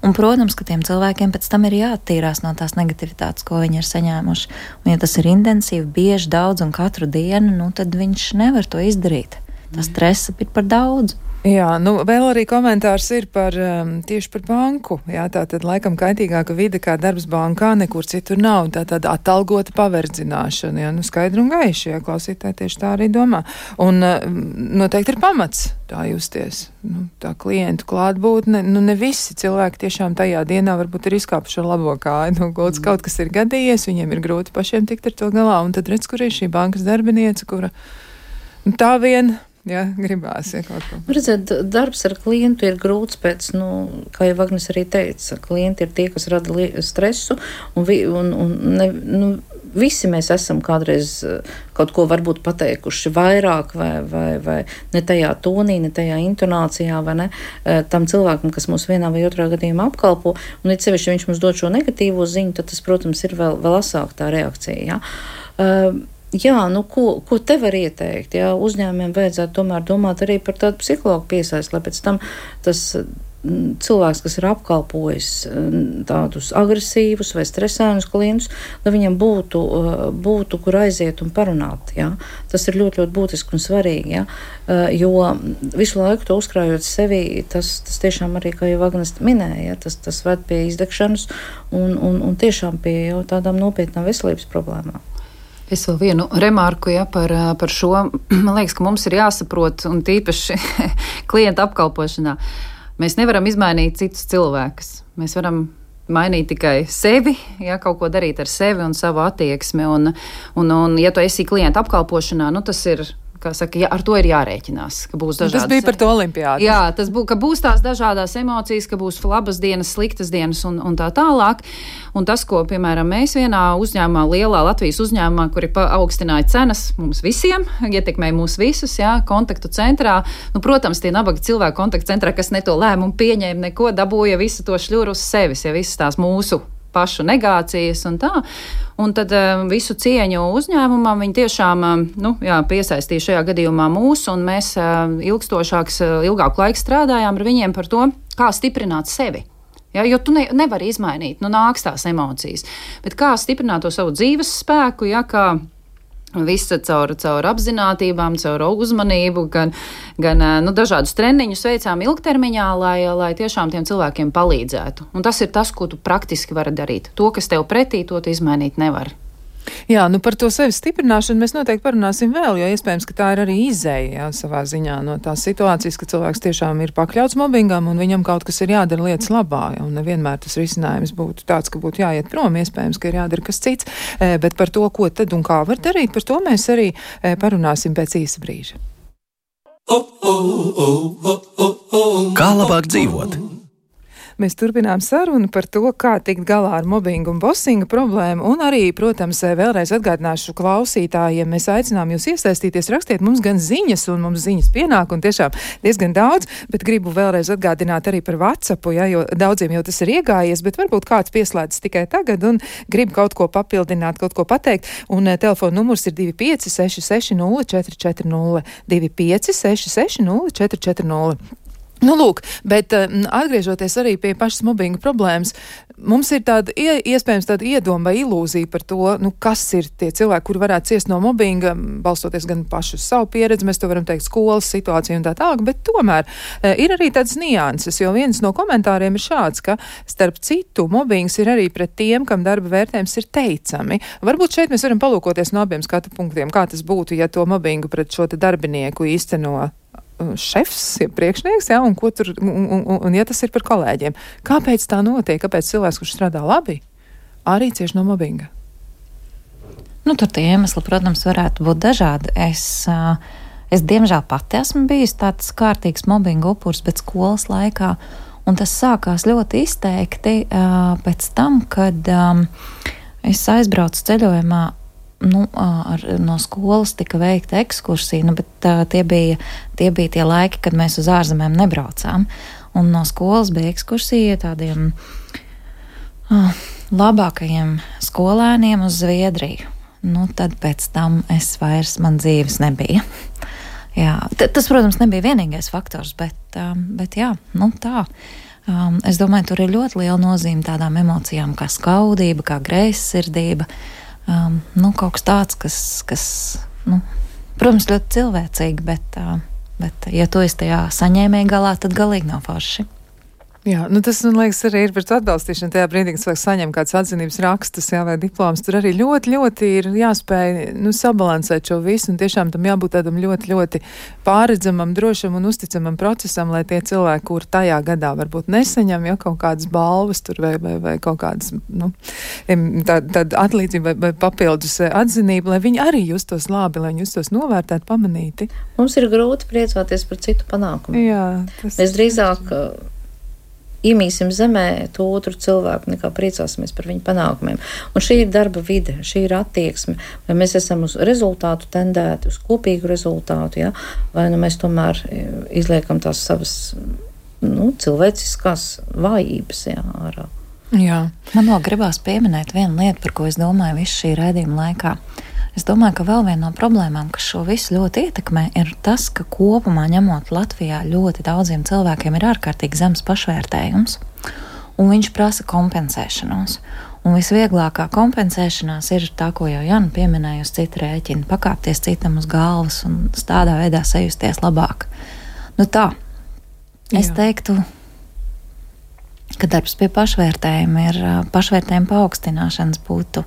Un, protams, ka tiem cilvēkiem pēc tam ir jāattīrās no tās negativitātes, ko viņi ir saņēmuši. Un, ja tas ir intensīvi, bieži, daudz un katru dienu, nu, tad viņš nevar to izdarīt. tas stresa ir par daudz. Jā, nu vēl arī komentārs ir par tieši par banku. Jā, tā tad laikam kaitīgāka vide kā darbs bankā nekur citur nav. Tā tad atalgota paverdzināšana, jā, nu skaidri un gaiši, jā, klausītāji tieši tā arī domā. Un noteikti ir pamats tā justies. Nu, tā klientu klātbūtne, nu ne visi cilvēki tiešām tajā dienā varbūt ir izkāpuši ar labo kāju. Nu, kaut kas ir gadījies, viņiem ir grūti pašiem tikt ar to galā. Un tad redz, kur ir šī bankas darbiniece, kura nu, tā vien. Jā, gribās, ja kaut ko. Redzēt, darbs ar klientu ir grūts pēc, kā jau Agnes arī teica, klienti ir tie, kas rada stresu, un visi mēs esam kādreiz kaut ko varbūt pateikuši vairāk vai ne tajā tonī, ne tajā intonācijā, vai ne, tam cilvēkam, kas mūs vienā vai otrā gadījumā apkalpo, un it sevišķi, ja viņš mums dod šo negatīvo ziņu, tad tas, protams, ir vēl asāk tā reakcija, jā. Jā, nu, ko te var ieteikt? Jā, uzņēmumiem vajadzētu tomēr domāt arī par tādu psihologu piesaisti, lai pēc tam tas cilvēks, kas ir apkalpojis tādus agresīvus vai stresēnus klientus, lai viņam būtu kur aiziet un parunāt. Jā. Tas ir ļoti, ļoti būtiski un svarīgi, jā. Jo visu laiku to uzkrājot sevi, tas tiešām arī, kā jau Agnes minēja, tas ved pie izdegšanas un tiešām pie jau tādām nopietnām veselības problēmām. Es vēl vienu remarku, ja, par šo. Man liekas, ka mums ir jāsaprot, un tīpaši klienta apkalpošanā, mēs nevaram izmainīt citus cilvēkus. Mēs varam mainīt tikai sevi, ja, kaut ko darīt ar sevi un savu attieksmi. Un ja tu esi klienta apkalpošanā, nu tas ir, kā saka, ja, ar to ir jārēķinās, ka būs dažādas. Tas bija par to olimpiādu. Jā, ka būs tās dažādās emocijas, ka būs labas dienas, sliktas dienas un tā tālāk. Un tas, ko, piemēram, mēs vienā uzņēmumā, lielā Latvijas uzņēmumā, kuri paaugstināja cenas mums visiem, ietekmēja mūs visus, jā, kontaktu centrā. Nu, protams, tie nabagi cilvēki kontaktu centrā, kas ne to lēmumu pieņēma, neko dabūja visu to šļuru uz sevis, ja visas tās mūsu pašu negācijas un tā. Un tad visu cieņu uzņēmumam viņi tiešām piesaistīja šajā gadījumā mūs, un mēs ilgāku laiku strādājām ar viņiem par to, kā stiprināt sevi. Ja, jo tu nevari izmainīt, nāks tās emocijas. Bet kā stiprināt to savu dzīves spēku, ja, kā visa caur apzinātībām, caur uzmanību, gan dažādus treniņus veicām ilgtermiņā, lai tiešām tiem cilvēkiem palīdzētu. Un tas ir tas, ko tu praktiski vari darīt. To, kas tev pretī, to tu izmainīt nevar. Jā, nu par to sevis stiprināšanu mēs noteikti parunāsim vēl, jo iespējams, ka tā ir arī izēja, jā, savā ziņā no tās situācijas, ka cilvēks tiešām ir pakļauts mobbingam un viņam kaut kas ir jādara lietas labā, un nevienmēr tas risinājums būtu tāds, ka būtu jāiet prom, iespējams, ka ir jādara kas cits, bet par to, ko tad un kā var darīt, par to mēs arī parunāsim pēc īsa brīža. Kā labāk dzīvot? Mēs turpinām sarunu par to, kā tikt galā ar mobbingu un bosinga problēmu, un arī, protams, vēlreiz atgādināšu klausītājiem, mēs aicinām jūs iesaistīties, rakstiet mums gan ziņas, un mums ziņas pienāk, un tiešām diezgan daudz, bet gribu vēlreiz atgādināt arī par WhatsAppu, ja, jo daudziem jau tas ir iegājies, bet varbūt kāds pieslēdzas tikai tagad un grib kaut ko papildināt, kaut ko pateikt, un telefona numurs ir 25660440, 25660440. Nu, lūk, bet atgriežoties arī pie pašas mobbinga problēmas, mums ir tāda iespējams tāda iedoma vai ilūzija par to, kas ir tie cilvēki, kuri varētu ciest no mobbinga, balstoties gan pašu uz savu pieredzi, mēs to varam teikt skolas situāciju un tā tālāk, bet tomēr ir arī tādas nianses, jo viens no komentāriem ir šāds, ka starp citu mobbings ir arī pret tiem, kam darba vērtējums ir teicami. Varbūt šeit mēs varam palūkoties no abiem skatu punktiem, kā tas būtu, ja to mobbingu pret šo te darbinieku īsteno šefs, priekšnieks, ja, un ja tas ir par kolēģiem. Kāpēc tā notiek? Kāpēc cilvēks, kurš strādā labi, arī cieši no mobbinga? Tur tie iemesli, protams, varētu būt dažādi. Es diemžēl pati esmu bijusi tāds kārtīgs mobbinga upurs, bet skolas laikā, un tas sākās ļoti izteikti pēc tam, kad es aizbraucu ceļojumā. No skolas tika veikta ekskursija, bet tie bija tie laiki, kad mēs uz ārzemēm nebraucām. Un no skolas bija ekskursija tādiem labākajiem skolēniem uz Zviedriju. Tad pēc tam man dzīves nebija. Jā, tas, protams, nebija vienīgais faktors, bet jā, tā. Es domāju, tur ir ļoti liela nozīme tādām emocijām kā skaudība, kā greizsirdība. Kaut kas tāds, kas protams, ļoti cilvēcīgi, bet Bet, ja tu esi tajā saņēmēja galā, tad galīgi nav forši. Jā, nu tas, man liekas, arī ir par to atbalstīšanu. Tajā brīdī, kad cilvēks saņem kāds atzinības rakstus, jā, vai diploms, tur arī ļoti ir jāspēj, sabalansēt šo visu, un tiešām tam jābūt tādam ļoti pārredzamam, drošam un uzticamam procesam, lai tie cilvēki, kur tajā gadā varbūt nesaņem, ja kaut kādas balvas tur vai kaut kādas, tāda atlīdzība vai papildus atzinība, lai viņi arī justos labi, lai viņi justos novērtēti, pamanīti. Mums ir grūti priecāties par citu panākumu. Jā, Mēs drīzāk iemīsim zemē to otru cilvēku, nekā priecāsimies par viņu panākumiem. Un šī ir darba vide, šī ir attieksme. Vai mēs esam uz rezultātu tendēti, uz kopīgu rezultātu, ja? Vai nu mēs tomēr izliekam tās savas cilvēciskās vājības ārā. Jā. Man vēl gribās pieminēt vienu lietu, par ko es domāju visu šī raidījuma laikā. Es domāju, ka vēl viena no problēmām, kas šo visu ļoti ietekmē, ir tas, ka kopumā ņemot Latvijā ļoti daudziem cilvēkiem ir ārkārtīgi zems pašvērtējums, un viņš prasa kompensēšanos. Un visvieglākā kompensēšanās ir tā, ko jau Jana pieminēja uz citu rēķinu, pakāpties citam uz galvas un tādā veidā sajusties labāk. Nu tā, es teiktu, ka darbs pie pašvērtējuma paaugstināšanas būtu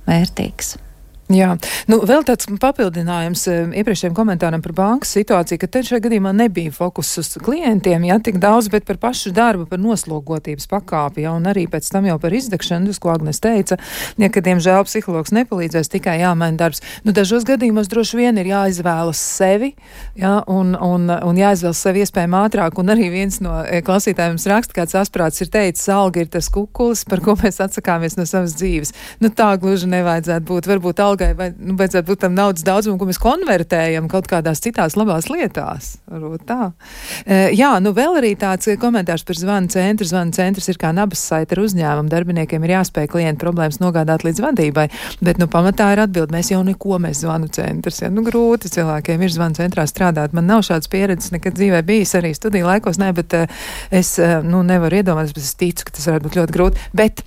vērtīgs. Jā, vēl tāds papildinājums iepriekšējiem komentāram par bankas situāciju, ka te šajā gadījumā nebija fokus uz klientiem, tik daudz, bet par pašu darbu, par noslogotības pakāpi, un arī pēc tam jau par izdegšanu, ko Agnes teica, ka diemžēl psihologs nepalīdzēs, tikai jāmaina darbs. Dažos gadījumos droši vien ir jāizvēlas sevi, un jāizvēlas sevi iespējami ātrāk, un arī viens no klausītājiem raksta, kāds asprāts ir teicis, alga ir tas kukulis, par ko mēs atsakāmies no savas dzīves. Tā gluži nevajadzētu būt, varbūt vai vajadzētu būt tam naudas daudzumu, ko mēs konvertējam kaut kādās citās labās lietās. Varbūt tā. Jā, vēl arī tāds komentārs par zvanu centru. Zvanu centrs ir kā nabas saita ar uzņēmumu. Darbiniekiem ir jāspēj klientu problēmas nogādāt līdz vadībai, bet pamatā ir atbild, mēs zvanu centrs. Ja? Grūti cilvēkiem ir zvanu centrā strādāt. Man nav šādas pieredzes nekad dzīvē bijis, arī studiju laikos, bet es nevaru iedomāties, bet es ticu, ka tas varētu būt ļoti grūti. Bet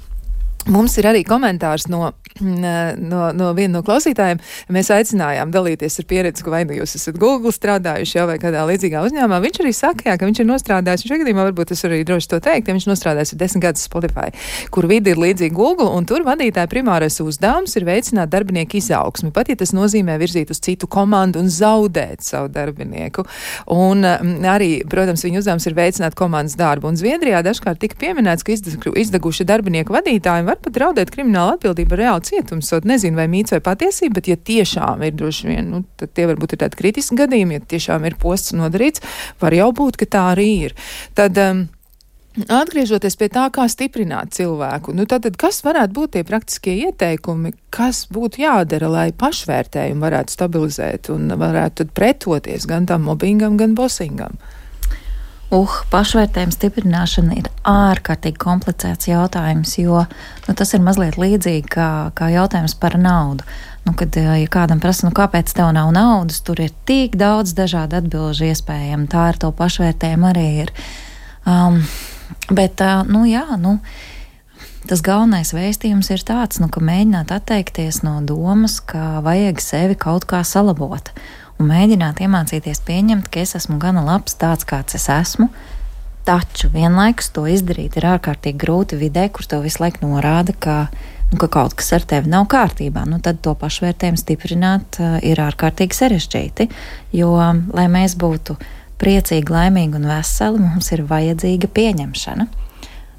mums ir arī komentārs no viena no klausītājiem. Mēs aicinājām dalīties ar pieredzi, ka vai jūs esat Google strādājuši vai kādā līdzīgā uzņēmumā. Viņš arī saka, ka viņš ir nostrādājis, viņš gadījumā varbūt es arī droši to teikt, ja viņš nostrādājis 10 gadus Spotify, kur vidi ir līdzīgi Google, un tur vadītāja primārais uzdevums ir veicināt darbinieku izaugsmi, pat ja tas nozīmē virzīt uz citu komandu un zaudēt savu darbinieku. Un arī, protams, viņa uzdevums ir veicināt komandas darbu. Un Zviedrijā dažkārt tika pieminēts, ka izdeguši darbinieku vadītāji var pat draudēt kriminālu atbildību ar reālu cietumsodu. Nezinu, vai mīts vai patiesība, bet ja tiešām ir droši vien, tad tie varbūt ir tādi kritiski gadījumi, ja tiešām ir posts nodarīts, var jau būt, ka tā arī ir. Tad, atgriežoties pie tā, kā stiprināt cilvēku, tad kas varētu būt tie praktiskie ieteikumi, kas būtu jādara, lai pašvērtējumu varētu stabilizēt un varētu tad pretoties gan tam mobbingam, gan bosingam? Pašvērtējuma stiprināšana ir ārkārtīgi komplicēts jautājums, jo tas ir mazliet līdzīgi kā jautājums par naudu. Kad ja kādam prasa, kāpēc tev nav naudas, tur ir tik daudz dažādu atbilžu iespējami. Tā ar to pašvērtējumu arī ir. Tas galvenais vēstījums ir tāds, ka mēģināt atteikties no domas, ka vajag sevi kaut kā salabot. Un mēģināt iemācīties pieņemt, ka es esmu gana labs tāds, kāds es esmu, taču vienlaikus to izdarīt ir ārkārtīgi grūti vidē, kur tev visu laiku norāda, ka kaut kas ar tevi nav kārtībā. Tad to pašvērtējumu stiprināt ir ārkārtīgi sarežģīti, jo, lai mēs būtu priecīgi, laimīgi un veseli, mums ir vajadzīga pieņemšana.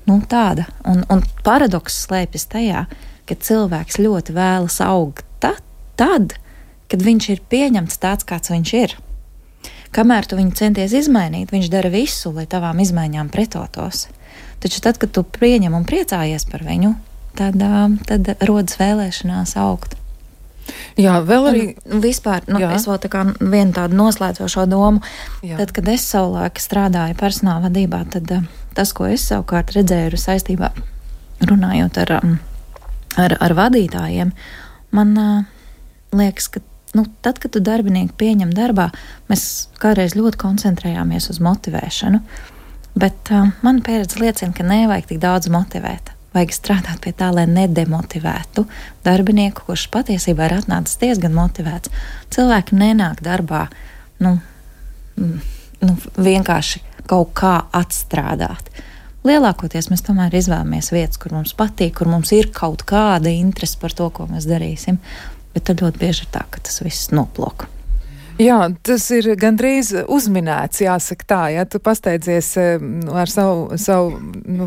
Tāda. Un paradoks slēpjas tajā, ka cilvēks ļoti vēlas augt tad, kad viņš ir pieņemts tāds, kāds viņš ir. Kamēr tu viņu centies izmainīt, viņš dara visu, lai tavām izmaiņām pretotos. Taču tad, kad tu pieņem un priecājies par viņu, tad rodas vēlēšanās augt. Jā, vēl arī... Vispār, es vēl vienu tādu noslēdzošo domu. Jā. Tad, kad es savulaik strādāju personāla vadībā, tad tas, ko es savukārt redzēju saistībā runājot ar vadītājiem, man liekas, ka tad, kad tu darbinieku pieņem darbā, mēs kādreiz ļoti koncentrējāmies uz motivēšanu, bet mana pieredze liecina, ka nevajag tik daudz motivēt. Vajag strādāt pie tā, lai nedemotivētu darbinieku, kurš patiesībā ir atnācis diezgan motivēts. Cilvēki nenāk darbā, vienkārši kaut kā atstrādāt. Lielākoties mēs tomēr izvēlamies vietas, kur mums patīk, kur mums ir kaut kāda interese par to, ko mēs darīsim, bet tad ļoti bieži ir tā, ka tas viss noplok. Jā, tas ir gandrīz uzminēts, jāsaka tā, ja tu pasteidzies ar savu,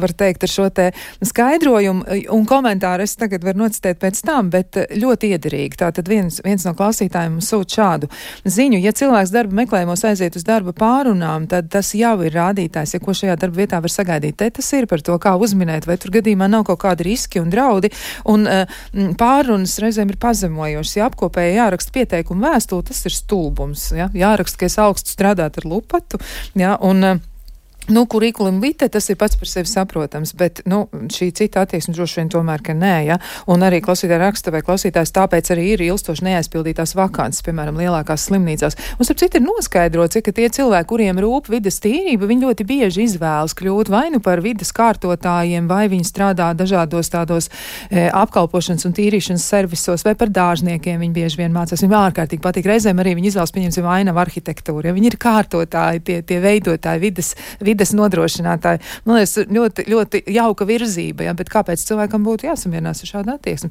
var teikt, ar šo te skaidrojumu un komentāru es tagad varu nocitēt pēc tam, bet ļoti iederīgi. Tātad viens no klausītājiem sūt šādu ziņu. Ja cilvēks darba meklējumos aiziet uz darba pārunām, tad tas jau ir rādītājs, ja ko šajā darba vietā var sagaidīt. Te tas ir par to, kā uzminēt, vai tur gadījumā nav kaut kādi riski un draudi, un pārunas reizēm ir pazemojošas. Ja apkopēji jāraksta pieteikumu vēstuli, tas ir stulbu. Ja? Jāraksta, ka es augstu strādāt ar lupatu, ja? Un kurikulim vitae, tas ir pats par sevi saprotams, bet, šī cita attieksme droši vien tomēr, ka nē, ja? Un arī klausītāja raksta vai klausītājs tāpēc arī ir ilstoši neaizpildītās vakances, piemēram, lielākās slimnīcās. Un, starp citu, ir noskaidrots, ka tie cilvēki, kuriem rūp vides tīrība, viņi ļoti bieži izvēlas kļūt vai nu par vides kārtotājiem, vai viņi strādā dažādos tādos apkalpošanas un tīrīšanas servisos, vai par dārzniekiem viņi bieži vien mācās. Viņiem ārkārtīgi patīk. Reizēm arī viņi izvēlas, pieņemsim, ainavu arhitektūru. Ja? Viņi ir kārtotāji, tie veidotāji, vides nodrošinātāji. Man liekas, ļoti, ļoti jauka virzība, ja? Bet kāpēc cilvēkam būtu jāsamierinās ar šādu attieksmi?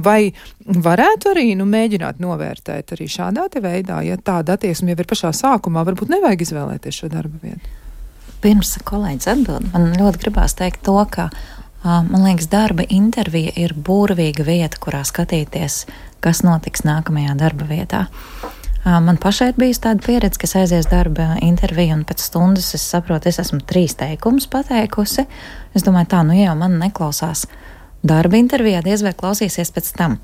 Vai varētu arī mēģināt novērtēt arī šādā te veidā, ja tāda attieksme jau ir pašā sākumā, varbūt nevajag izvēlēties šo darba vietu? Pirms kolēģis atbild, man ļoti gribās teikt to, ka man liekas, darba intervija ir burvīga vieta, kurā skatīties, kas notiks nākamajā darba vietā. Man pašai ir bijusi tāda pieredze, ka es aizies darba interviju un pēc stundas es saprotu, es esmu 3 teikumus pateikusi. Es domāju, tā, ja jau man neklausās darba intervijā, diez vai klausīsies pēc tam.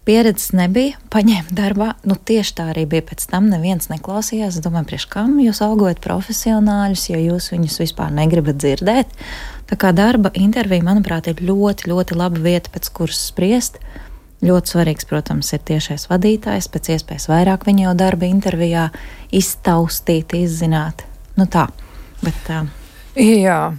Pieredzes nebija, paņēma darbā, tieši tā arī bija pēc tam, neviens neklausījās. Es domāju, priekš kam jūs algojat profesionāļus, ja jūs viņus vispār negribat dzirdēt. Tā kā darba intervija, manuprāt, ir ļoti, ļoti laba vieta, pēc kuras spriest. Ļoti svarīgs, protams, ir tiešais vadītājs, pēc iespējas vairāk viņu jau darba intervijā iztaustīt, izzināt. Tā, bet... Jā,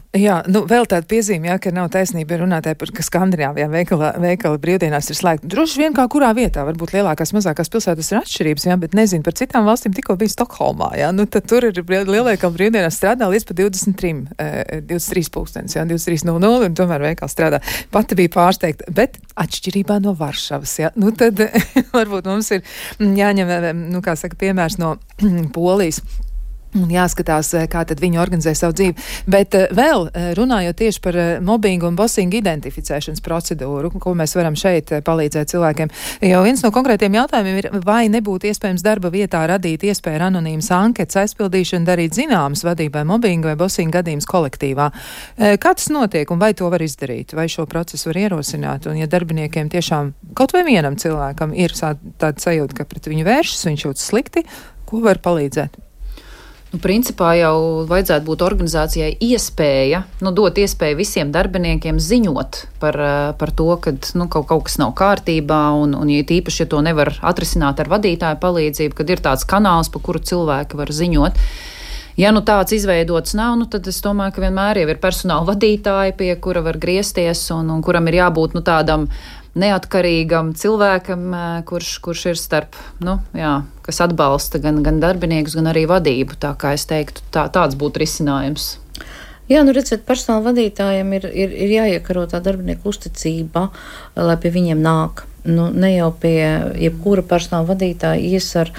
vēl tāda piezīme, ka nav taisnība runātāji par, ka Skandināvijā veikali brīvdienās ir slēgti. Droši vien kā kurā vietā, varbūt lielākās, mazākās pilsētas ir atšķirības, bet nezinu, par citām valstīm tikko bija Stokholmā, tad tur ir lielveikali brīvdienās strādā līdz pa 23 pulkstenis, 23:00, un tomēr veikali strādā. Pati bija pārsteigta, bet atšķirībā no Varšavas, tad varbūt mums ir jāņem, piemērs no Polijas. Un jāskatās, kā tad viņi organizē savu dzīvi. Bet vēl runājot tieši par mobbingu un bosingu identificēšanas procedūru, ko mēs varam šeit palīdzēt cilvēkiem. Jau viens no konkrētiem jautājumiem ir, vai nebūtu iespējams darba vietā radīt iespēju ar anonīmas anketas aizpildīšanu darīt zināmas vadībai mobbingu vai bosingu gadījumus kolektīvā. Kā tas notiek un vai to var izdarīt? Vai šo procesu var ierosināt? Un ja darbiniekiem tiešām kaut vai vienam cilvēkam ir tāda sajūta, ka pret viņu vēršas, viņš jūtas slikti, ko var palīdzēt? Principā jau vajadzētu būt organizācijai iespēja, dot iespēju visiem darbiniekiem ziņot par to, ka kaut kas nav kārtībā, un ja tīpaši, ja to nevar atrisināt ar vadītāju palīdzību, kad ir tāds kanāls, pa kuru cilvēki var ziņot. Ja tāds izveidots nav, tad es domāju, ka vienmēr jau ir personāla vadītāji, pie kura var griezties, un kuram ir jābūt tādam neatkarīgam cilvēkam, kurš ir starp, kas atbalsta gan darbiniekus, gan arī vadību. Tā kā es teiktu, tāds būtu risinājums. Jā, redziet, personāla vadītājiem ir jāiekaro tā darbinieku uzticība, lai pie viņiem nāk. Ne jau pie jebkura personāla vadītāja ies ar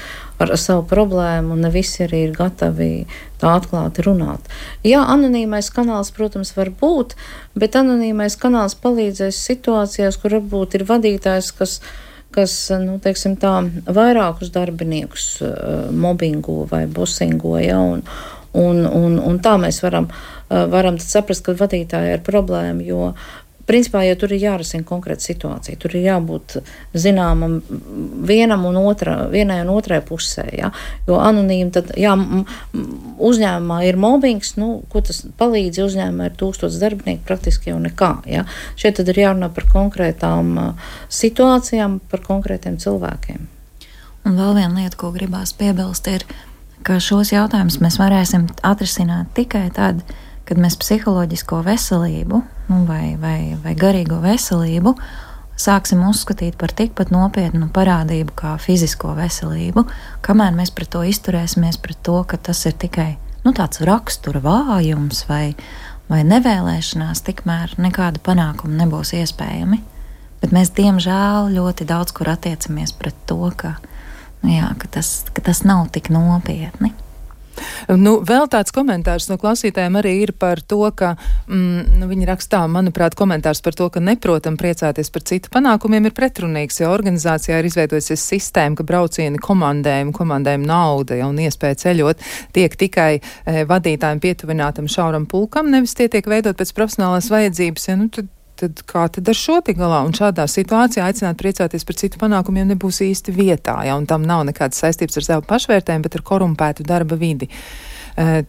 savu problēmu, un ne visi arī ir gatavi tā atklāti runāt. Jā, anonīmais kanāls, protams, var būt, bet anonīmais kanāls palīdzēs situācijās, kur varbūt ir vadītājs, kas teiksim tā, vairākus darbiniekus mobbingo vai bosingo, un tā mēs varam tad saprast, ka vadītāji ir problēma, jo principā, ja tur ir jārisina konkrēta situācija, tur ir jābūt zināmam vienai un otrai pusē, jo anonīmi tad, uzņēmumā ir mobbings, ko tas palīdz, uzņēmumā ir 1000 darbinieku, praktiski jau nekā, Šeit tad ir jārunā par konkrētām situācijām, par konkrētiem cilvēkiem. Un vēl viena lieta, ko gribās piebilst, ir, ka šos jautājumus mēs varēsim atrisināt tikai tad, kad mēs psiholoģisko veselību vai garīgo veselību sāksim uzskatīt par tikpat nopietnu parādību kā fizisko veselību, kamēr mēs pret to izturēsimies pret to, ka tas ir tikai tāds rakstura vājums vai nevēlēšanās, tikmēr nekāda panākuma nebūs iespējami. Bet mēs, diemžēl, ļoti daudz kur attiecamies pret to, ka tas nav tik nopietni. Vēl tāds komentārs no klausītājiem arī ir par to, ka viņi rakstā, manuprāt, komentārs par to, ka neprotam priecāties par citu panākumiem ir pretrunīgs, jo organizācijā ir izveidojusies sistēma, ka braucieni komandējumu nauda un iespēja ceļot tiek tikai vadītājiem pietuvinātam šauram pulkam, nevis tie tiek veidot pēc profesionālās vajadzības, tad kā tad ar šo tik galā? Un šādā situācijā aicināt priecāties par citu panākumiem nebūs īsti vietā, un tam nav nekādas saistības ar savu pašvērtējumu, bet ar korumpētu darba vidi.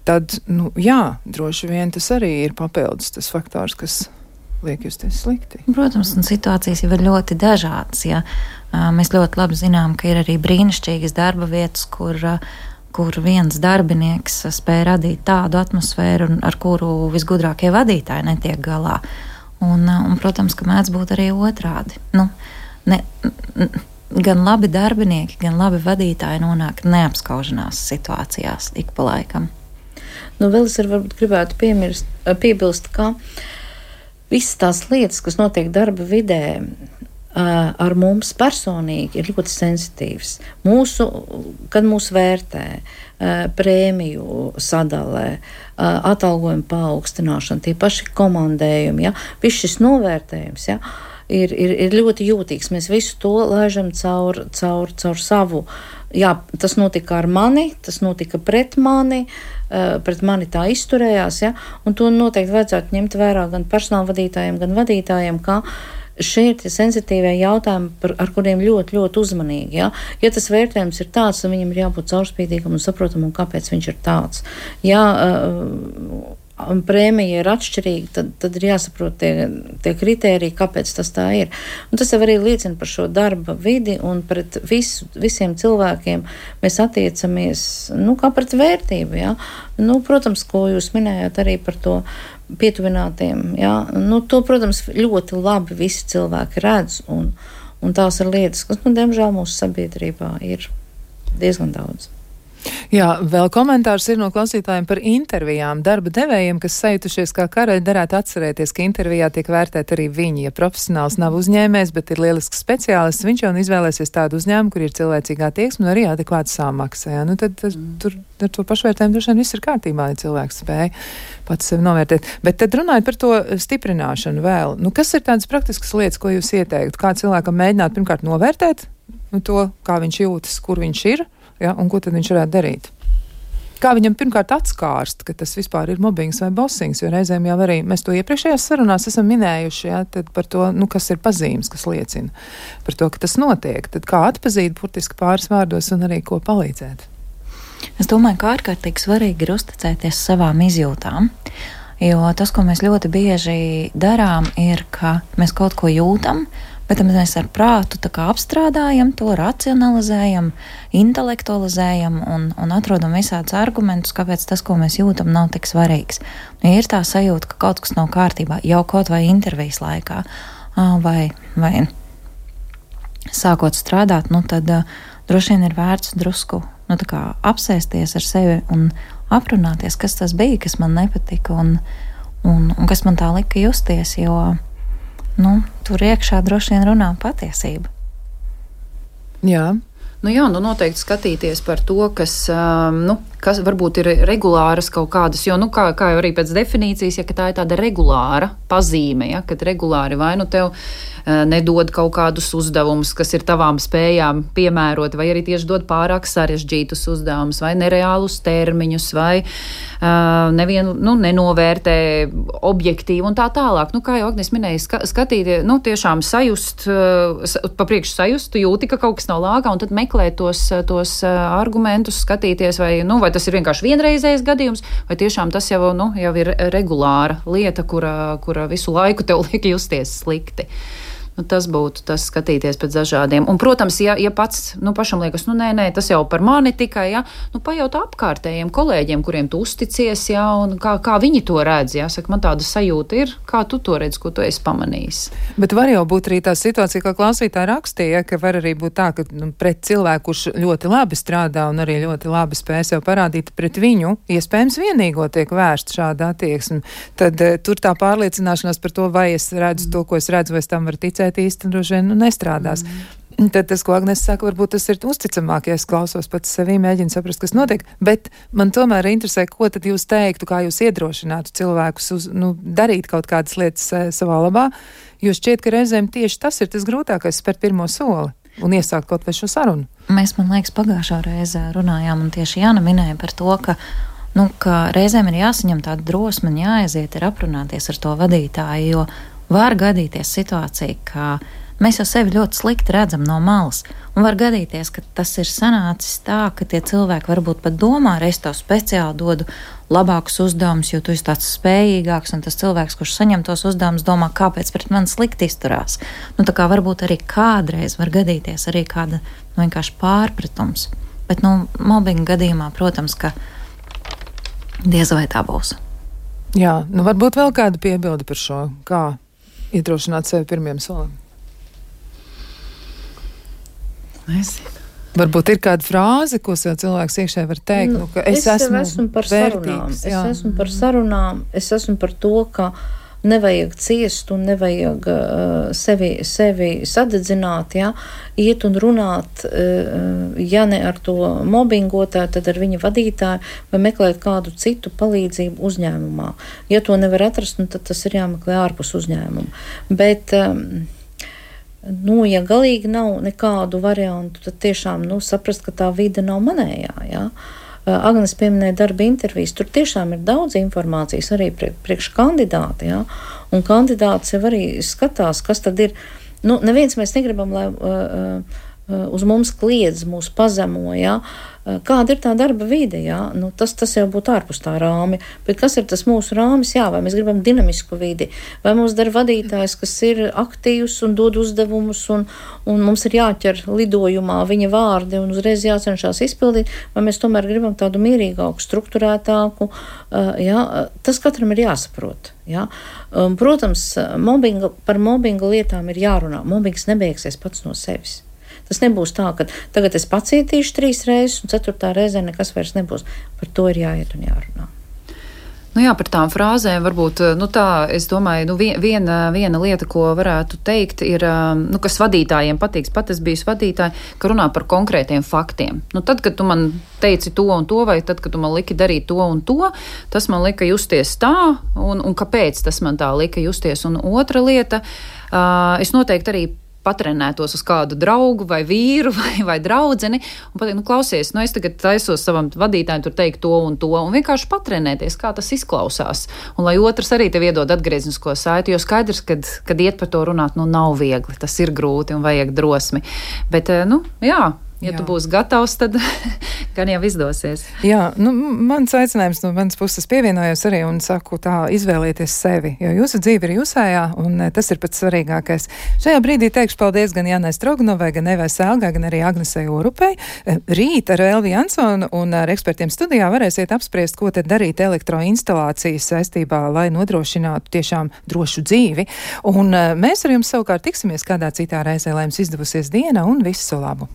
Tad, droši vien tas arī ir papildus tas faktors, kas liek justies slikti. Protams, un situācijas jau ir ļoti dažādas. Ja? Mēs ļoti labi zinām, ka ir arī brīnišķīgas darba vietas, kur viens darbinieks spēj radīt tādu atmosfēru, ar kuru visgudrākie vadītāji netiek galā. Un, protams, ka mēdz būt arī otrādi. Gan labi darbinieki, gan labi vadītāji nonāk neapskauženās situācijās ik pa laikam. Vēl es varbūt gribētu piebilst, ka visas tās lietas, kas notiek darba vidē, ar mums personīgi ir ļoti sensitīvs. Kad mūs vērtē, prēmiju sadalē, atalgojuma paaugstināšana, tie paši komandējumi, viss šis novērtējums, ir ļoti jūtīgs. Mēs visu to laižam caur savu. Tas notika ar mani, tas notika pret mani tā izturējās, un to noteikti vajadzētu ņemt vērā gan personāla vadītājiem, gan vadītājiem, kā šie ir tie sensitīvie jautājumi, ar kuriem ļoti, ļoti uzmanīgi. Ja tas vērtējums ir tāds, tad viņam ir jābūt caurspīdīgam un saprotamam, kāpēc viņš ir tāds. Prēmija ir atšķirīga, tad ir jāsaprot tie kritēriji, kāpēc tas tā ir. Un tas jau arī liecina par šo darba vidi, un pret visiem cilvēkiem mēs attiecamies, kā pret vērtību. Protams, ko jūs minējāt arī par to pietuvinātiem. To, protams, ļoti labi visi cilvēki redz, un tās ir lietas, kas, diemžēl, mūsu sabiedrībā ir diezgan daudz. Vēl komentārs ir no klausītājiem par intervijām. Darba devējiem, kas sajutušies kā karaļi, darētu atcerēties, ka intervijā tiek vērtēt arī viņi. Ja profesionāls nav uzņēmējs, bet ir lielisks speciālists, viņš jau izvēlēsies tādu uzņēmumu, kur ir cilvēcīgā attieksme un arī adekvāta samaksa. Tad tur ar to pašvērtējumu droši vien viss ir kārtībā, ja cilvēks spēja pats sevi novērtēt. Bet tad runājot par to stiprināšanu vēl. Kas ir tādas praktiskas lietas, ko jūs ieteiktu? Kā cilvēkam mēģināt pirmkārt novērtēt to, kā viņš jūtas, kur viņš ir? Un ko tad viņš varētu darīt? Kā viņam pirmkārt atskārst, ka tas vispār ir mobbings vai bossings, jo reizēm jau arī mēs to iepriekšējās sarunās esam minējuši, tad par to, kas ir pazīmes, kas liecina par to, ka tas notiek. Tad kā atpazīt burtiski pāris vārdos un arī ko palīdzēt? Es domāju, ka ārkārtīgi svarīgi ir uzticēties savām izjūtām, jo tas, ko mēs ļoti bieži darām, ir, ka mēs kaut ko jūtam, bet mēs ar prātu apstrādājam to, racionalizējam, intelektualizējam un atrodam visādus argumentus, kāpēc tas, ko mēs jūtam, nav tik svarīgs. Ja ir tā sajūta, ka kaut kas nav kārtībā, jau kaut vai intervijas laikā, vai sākot strādāt, tad droši vien ir vērts drusku apsēsties ar sevi un aprunāties, kas tas bija, kas man nepatika un kas man tā lika justies, jo tur iekšā droši vien runā patiesība. Jā. Noteikti skatīties par to, kas varbūt ir regulāras kaut kādas, jo, kā jau arī pēc definīcijas, ka tā ir tāda regulāra pazīme, kad regulāri vai tev nedod kaut kādus uzdevumus, kas ir tavām spējām piemērot, vai arī tieši dod pārāk sarežģītus uzdevumus, vai nereālus termiņus, vai nenovērtē objektīvi un tā tālāk. Kā jau Agnes minēja, skatīt, tiešām sajust, papriekš sajust, jūti, ka kaut kas nav lāgā, un tad meklēt tos argumentus, skatīties, vai tas ir vienkārši vienreizējs gadījums, vai tiešām tas jau ir regulāra lieta, kura visu laiku tev liek justies slikti. Tas būtu tas skatīties pēc dažādiem. Un, protams, ja pats pašam liekas, nē, tas jau par mani tikai, pajautā apkārtējiem kolēģiem, kuriem tu uzticies, un kā viņi to redz, saka, man tāda sajūta ir, kā tu to redz, ko tu esi pamanījis. Bet var jau būt arī tā situācija, kā klausītāja rakstīja, ka var arī būt tā, ka pret cilvēku, kurš ļoti labi strādā un arī ļoti labi spēj sev parādīt, pret viņu iespējams vienīgo tiek vērsta šāda attieksme. Tad tur tā pārliecināšanās par to, vai es redzu to, ko es redzu, vai es tam varu ticēt, īsti droši vien nestrādās. Tad tas, ko Agnese saka, varbūt tas ir uzticamāk, ja es klausos pats sevī, mēģinu saprast, kas notiek, bet man tomēr interesē, ko tad jūs teiktu, kā jūs iedrošinātu cilvēkus darīt kaut kādas lietas savā labā, jo šķiet, ka reizēm tieši tas ir tas grūtākais, spērt pirmo soli un iesākt kaut vai šo sarunu. Mēs, man liekas, pagājušā reizē runājām, un tieši Jāna minēja par to, ka reizēm ir jāsaņem tāda drosme un jāaiziet ir aprunāties ar to vadītāju, jo var gadīties situācija, ka mēs jau sevi ļoti slikti redzam no malas, un var gadīties, ka tas ir sanācis tā, ka tie cilvēki varbūt pat domā, es tev speciāli dodu labākus uzdevumus, jo tu esi tāds spējīgāks, un tas cilvēks, kurš saņem tos uzdevumus, domā, kāpēc pret mani slikti izturās. Tā kā varbūt arī kādreiz var gadīties arī kāda vienkārši pārpratums, bet mobbinga gadījumā, protams, ka diez vai tā būs. Jā, varbūt vēl kāda piebilde par šo, kā iedrošināt sevi pirmiem solim. Nezinu. Varbūt ir kāda frāze, ko sev cilvēks iekšē var teikt, ka es esmu par vērtīgs. Es esmu par sarunām, es esmu par to, ka nevajag ciest un nevajag sevi sadedzināt, iet un runāt, ja ne ar to mobbingotāju, tad ar viņa vadītāju vai meklēt kādu citu palīdzību uzņēmumā. Ja to nevar atrast, tad tas ir jāmeklē ārpus uzņēmuma. Bet, ja galīgi nav nekādu variantu, tad tiešām saprast, ka tā vide nav manējā, Agnes pieminēja darba intervijas, tur tiešām ir daudz informācijas arī priekš kandidāti, un kandidāts jau arī skatās, kas tad ir, neviens mēs negribam, lai uz mums kliedz, mūs pazemo, kāda ir tā darba vide, tas jau būtu ārpus tā rāmi, bet kas ir tas mūsu rāmis, vai mēs gribam dinamisku vidi, vai mums dara vadītājs, kas ir aktīvs un dod uzdevumus, un mums ir jāķer lidojumā viņa vārdi un uzreiz jācenšās izpildīt, vai mēs tomēr gribam tādu mierīgāku, strukturētāku, tas katram ir jāsaprot. Protams, par mobbinga lietām ir jārunā, mobbings nebeigsies pats no sevis. Tas nebūs tā, ka tagad es pacietīšu 3 reizes un 4. reizē nekas vairs nebūs. Par to ir jāiet un jārunā. Par tām frāzēm varbūt, es domāju, viena lieta, ko varētu teikt, ir, kas vadītājiem patiks, pat es biju vadītāji, ka runā par konkrētiem faktiem. Tad, kad tu man teici to un to, vai tad, kad tu man liki darīt to un to, tas man lika justies tā, un kāpēc tas man tā lika justies. Un otra lieta, es noteikti arī patrenētos uz kādu draugu vai vīru vai draudzeni un pateikt, klausies, es tagad taisos savam vadītājiem tur teikt to un vienkārši patrenēties, kā tas izklausās. Un lai otrs arī tev iedod atgrieznisko saiti, jo skaidrs, kad iet par to runāt, nav viegli, tas ir grūti un vajag drosmi. Bet, ja tu būsi gatavs, tad gan jau izdosies. Jā, mans aicinājums no manas puses pievienojos arī un saku tā, izvēlieties sevi, jo jūsu dzīve ir jūsējā un tas ir pats svarīgākais. Šajā brīdī teikšu paldies gan Jānai Stroganovai, gan Evai Sēlgai, gan arī Agnesei Orupei. Rīt ar Elvi Jansonu un ar ekspertiem studijā varēsiet apspriest, ko tad darīt elektroinstalācijas saistībā, lai nodrošinātu tiešām drošu dzīvi. Un mēs ar jums savukārt tiksimies kādā citā reizē, lai jums izdevusies diena un visu labu.